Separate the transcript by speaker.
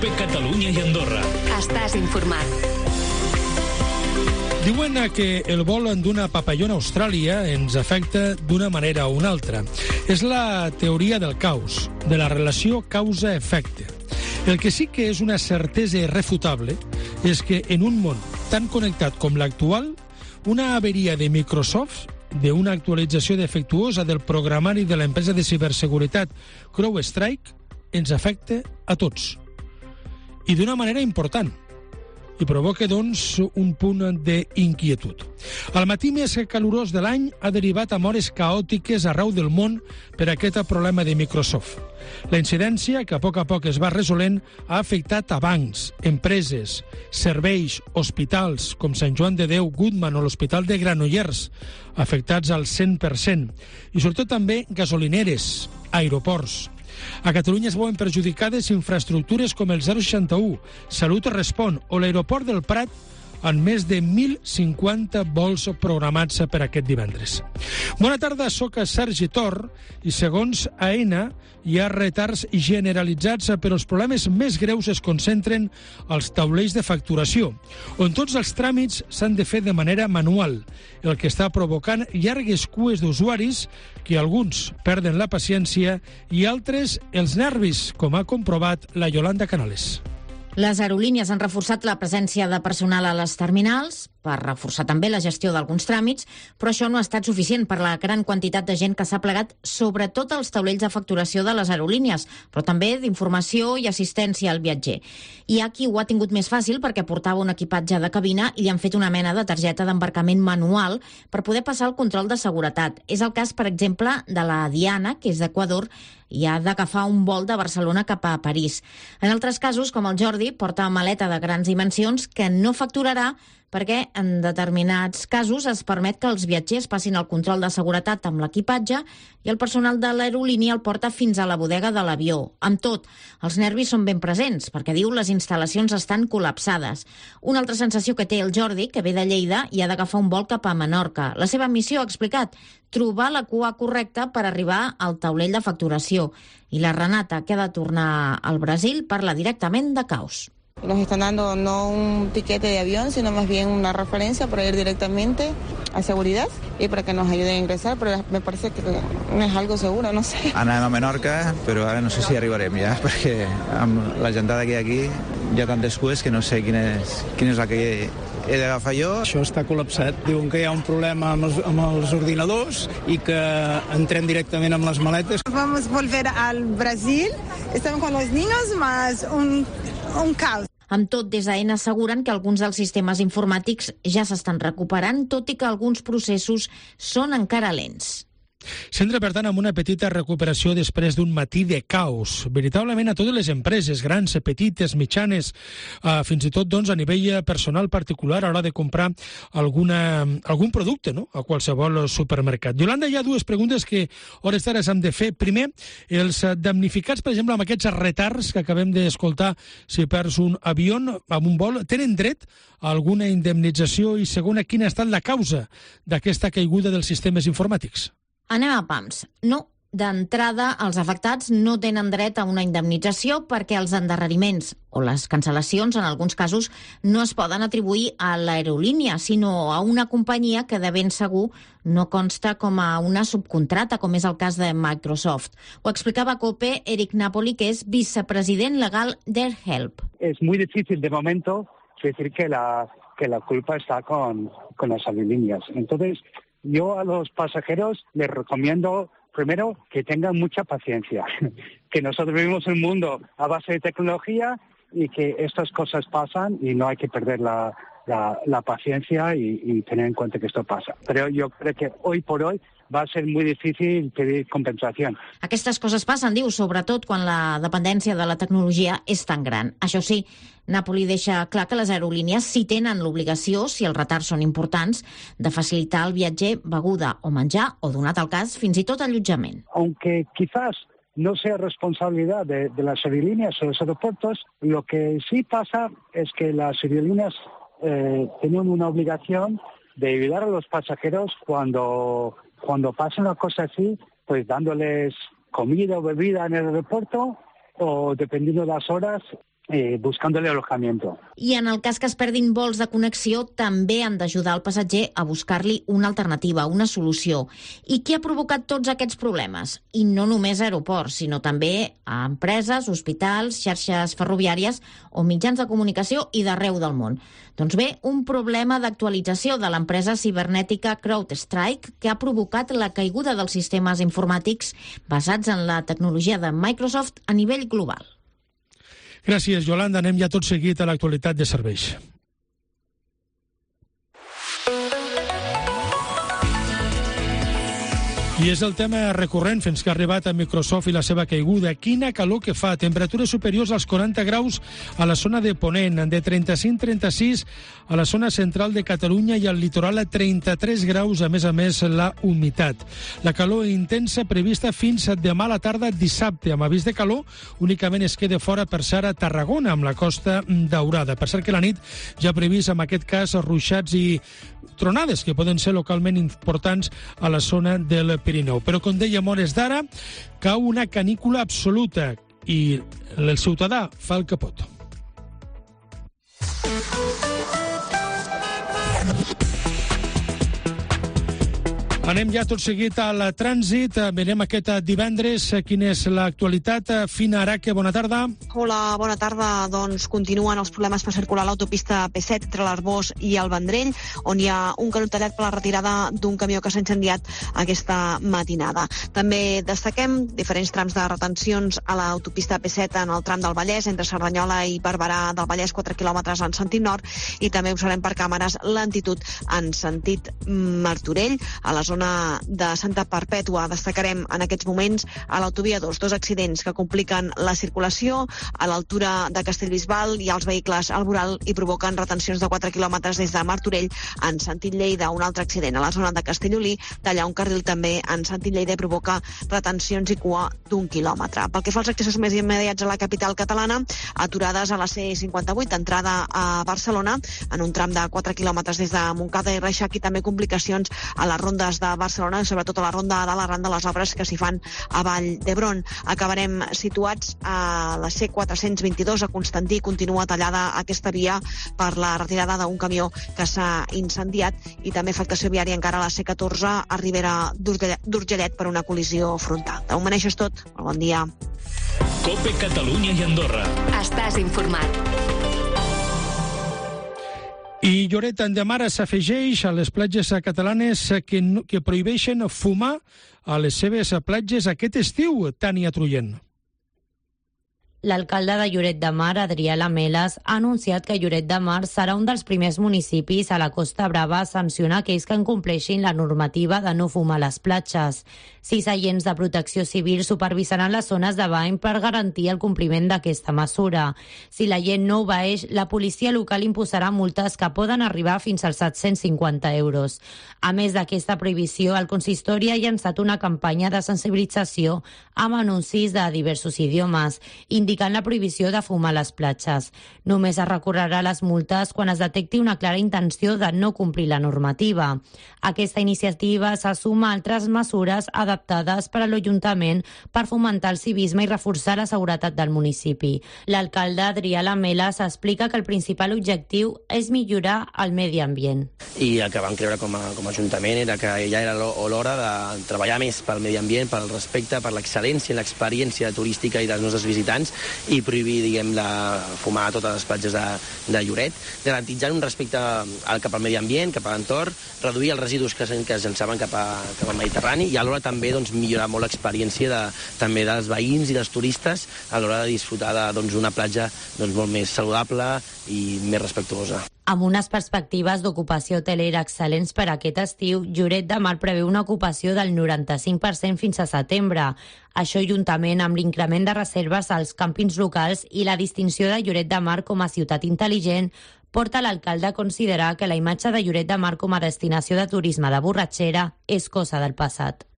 Speaker 1: COPE Catalunya i Andorra.
Speaker 2: Estàs informat.
Speaker 3: Diuen que el vol d'una papallona a Austràlia ens afecta d'una manera o una altra. És la teoria del caos, de la relació causa-efecte. El que sí que és una certesa irrefutable és que en un món tan connectat com l'actual, una averia de Microsoft, d'una actualització defectuosa del programari de l'empresa de ciberseguretat CrowdStrike, ens afecta a tots. I d'una manera important. I provoca, doncs, un punt d'inquietud. El matí més calorós de l'any ha derivat amb hores caòtiques arreu del món per aquest problema de Microsoft. La incidència, que a poc es va resolent, ha afectat a bancs, empreses, serveis, hospitals, com Sant Joan de Déu, Goodman o l'Hospital de Granollers, afectats al 100%, i sobretot també gasolineres, aeroports. A Catalunya es veuen perjudicades infraestructures com el 061, Salut Respon o l'aeroport del Prat, amb més de 1.050 vols programats per aquest divendres. Bona tarda, soc Sergi Tor i segons AENA hi ha retards generalitzats, però els problemes més greus es concentren als taulells de facturació, on tots els tràmits s'han de fer de manera manual, el que està provocant llargues cues d'usuaris que alguns perden la paciència i altres els nervis, com ha comprovat la Yolanda Canales.
Speaker 4: Les aerolínies han reforçat la presència de personal a les terminals per reforçar també la gestió d'alguns tràmits, però això no ha estat suficient per la gran quantitat de gent que s'ha plegat, sobretot als taulells de facturació de les aerolínies, però també d'informació i assistència al viatger. Hi ha qui ho ha tingut més fàcil perquè portava un equipatge de cabina i li han fet una mena de targeta d'embarcament manual per poder passar el control de seguretat. És el cas, per exemple, de la Diana, que és d'Equador, i ha d'agafar un vol de Barcelona cap a París. En altres casos, com el Jordi, porta maleta de grans dimensions que no facturarà perquè en determinats casos es permet que els viatgers passin el control de seguretat amb l'equipatge i el personal de l'aerolínia el porta fins a la bodega de l'avió. Amb tot, els nervis són ben presents, perquè diu les instal·lacions estan col·lapsades. Una altra sensació que té el Jordi, que ve de Lleida i ha d'agafar un vol cap a Menorca. La seva missió, ha explicat, trobar la cua correcta per arribar al taulell de facturació. I la Renata, que ha de tornar al Brasil, parla directament de caos.
Speaker 5: Nos están dando no un tiquete de avión, sino más bien una referencia para ir directamente a seguridad y para que nos ayuden a ingresar, pero me parece que no es algo seguro, no sé.
Speaker 6: Anem a Menorca, però ara no sé si arribarem ja, perquè amb la gentada que hi ha aquí hi ha tantes cues que no sé quina és la que he d'agafar jo.
Speaker 7: Això està col·lapsat. Diuen que hi ha un problema amb els ordinadors i que entrem directament amb les maletes.
Speaker 8: Vamos a volver al Brasil, estamos con los niños, más un caos.
Speaker 4: Amb tot, des d'AENA asseguren que alguns dels sistemes informàtics ja s'estan recuperant, tot i que alguns processos són encara lents.
Speaker 3: S'entra, per tant, amb una petita recuperació després d'un matí de caos. Veritablement a totes les empreses, grans, petites, mitjanes, fins i tot doncs, a nivell personal particular a l'hora de comprar algun producte, no?, a qualsevol supermercat. Yolanda, hi ha dues preguntes que hores d'ara s'han de fer. Primer, els damnificats, per exemple, amb aquests retards que acabem d'escoltar, si perds un avió amb un vol, tenen dret a alguna indemnització? I segona, quina ha estat la causa d'aquesta caiguda dels sistemes informàtics?
Speaker 4: Anem a pams. No, d'entrada, els afectats no tenen dret a una indemnització perquè els endarreriments o les cancel·lacions, en alguns casos, no es poden atribuir a l'aerolínia, sinó a una companyia que de ben segur no consta com a una subcontrata, com és el cas de Microsoft. Ho explicava a COPE Eric Napoli, que és vicepresident legal d'AirHelp.
Speaker 9: Es muy difícil de momento decir que la culpa está con las aerolíneas. Entonces, yo a los pasajeros les recomiendo, primero, que tengan mucha paciencia, que nosotros vivimos en un mundo a base de tecnología y que estas cosas pasan y no hay que perder la paciencia y tener en cuenta que esto pasa. Pero yo creo que hoy por hoy va a ser muy difícil pedir compensació.
Speaker 4: Aquestes coses passen, diu, sobretot quan la dependència de la tecnologia és tan gran. Això sí, Napoli deixa clar que les aerolínies sí tenen l'obligació, si els retards són importants, de facilitar al viatger beguda o menjar o, donat el cas, fins i tot allotjament.
Speaker 9: Aunque quizás no sea responsabilidad de las aerolíneas o los aeropuertos, lo que sí pasa es que las aerolíneas tienen una obligación de ayudar a los pasajeros cuando pasa una cosa así, pues dándoles comida o bebida en el aeropuerto o, dependiendo de las horas, buscándole alojamiento.
Speaker 4: I en el cas que es perdin vols de connexió, també han d'ajudar el passatger a buscar-li una alternativa, una solució. I què ha provocat tots aquests problemes? I no només a aeroports, sinó també a empreses, hospitals, xarxes ferroviàries o mitjans de comunicació i d'arreu del món. Doncs bé, un problema d'actualització de l'empresa cibernètica CrowdStrike que ha provocat la caiguda dels sistemes informàtics basats en la tecnologia de Microsoft a nivell global.
Speaker 3: Gràcies, Yolanda. Anem ja tot seguit a l'actualitat de serveis. I és el tema recurrent fins que ha arribat a Microsoft i la seva caiguda. Quina calor que fa, temperatures superiors als 40 graus a la zona de Ponent, de 35-36 a la zona central de Catalunya i al litoral a 33 graus, a més la humitat. La calor intensa prevista fins demà a la tarda dissabte, amb avís de calor únicament es queda fora per ser a Tarragona, amb la Costa Daurada. Per cert que la nit ja ha previst, en aquest cas, ruixats i tronades que poden ser localment importants a la zona del Pirineu. Però, com dèiem, hores d'ara, cau una canícula absoluta i el ciutadà fa el que pot. Anem ja tot seguit al trànsit. Veiem aquest divendres quina és l'actualitat. Fina Araque, bona tarda.
Speaker 1: Hola, bona tarda. Doncs continuen els problemes per circular a l'autopista P7 entre l'Arbós i el Vendrell, on hi ha un canó tallat per la retirada d'un camió que s'ha incendiat aquesta matinada. També destaquem diferents trams de retencions a l'autopista P7 en el tram del Vallès, entre Cerdanyola i Barberà del Vallès, 4 quilòmetres en sentit nord, i també observem per càmeres lentitud en sentit Martorell. A la zona de Santa Perpètua destacarem en aquests moments a l'autovia 2 accidents que compliquen la circulació. A l'altura de Castellbisbal hi ha els vehicles al voral i provoquen retencions de 4 quilòmetres des de Martorell en sentit Lleida. Un altre accident a la zona de Castellolí talla un carril també en sentit Lleida i provoca retencions i cua d'1 quilòmetre. Pel que fa als accessos més immediats a la capital catalana, aturades a la C58 entrada a Barcelona en un tram de 4 quilòmetres des de Montcada i Reixac, i també complicacions a les rondes de Barcelona, sobretot a la ronda de l'arran de les obres que s'hi fan a Vall d'Hebron. Acabarem situats a la C422 a Constantí. Continua tallada aquesta via per la retirada d'un camió que s'ha incendiat, i també afectació viària encara a la C14 a Ribera d'Urgellet per una col·lisió frontal. De moment això és tot. Bon dia.
Speaker 2: COPE Catalunya i Andorra. Estàs informat.
Speaker 3: I Lloret de Mar s'afegeix a les platges catalanes que prohibeixen fumar a les seves platges aquest estiu, Tània Trullent.
Speaker 10: L'alcalde de Lloret de Mar, Adrià Lamelas, ha anunciat que Lloret de Mar serà un dels primers municipis a la Costa Brava a sancionar aquells que incompleixin la normativa de no fumar a les platges. 6 agents de protecció civil supervisaran les zones de bany per garantir el compliment d'aquesta mesura. Si la gent no obeeix, la policia local imposarà multes que poden arribar fins als 750 euros. A més d'aquesta prohibició, el consistori ha llançat una campanya de sensibilització amb anuncis de diversos idiomes, indicant la prohibició de fumar a les platges. Només es recorrerà les multes quan es detecti una clara intenció de no complir la normativa. Aquesta iniciativa se suma a altres mesures adaptades per a l'Ajuntament per fomentar el civisme i reforçar la seguretat del municipi. L'alcalde Adrià Lamelas explica que el principal objectiu és millorar el medi ambient.
Speaker 11: I el que vam creure com a Ajuntament era que ja era l'hora de treballar més pel medi ambient, pel respecte, per l'excel·lència i l'experiència turística i dels nostres visitants, i prohibir, fumar a totes les platges de Lloret, garantitzant un respecte cap al medi ambient, cap a l'entorn, reduir els residus que es llançaven cap al Mediterrani, i alhora també millorar molt l'experiència també dels veïns i dels turistes a l'hora de disfrutar d'una platja molt més saludable i més respectuosa.
Speaker 10: Amb unes perspectives d'ocupació hotelera excel·lents per aquest estiu, Lloret de Mar preveu una ocupació del 95% fins a setembre. Això, juntament amb l'increment de reserves als càmpings locals i la distinció de Lloret de Mar com a ciutat intel·ligent, porta l'alcalde a considerar que la imatge de Lloret de Mar com a destinació de turisme de borratxera és cosa del passat.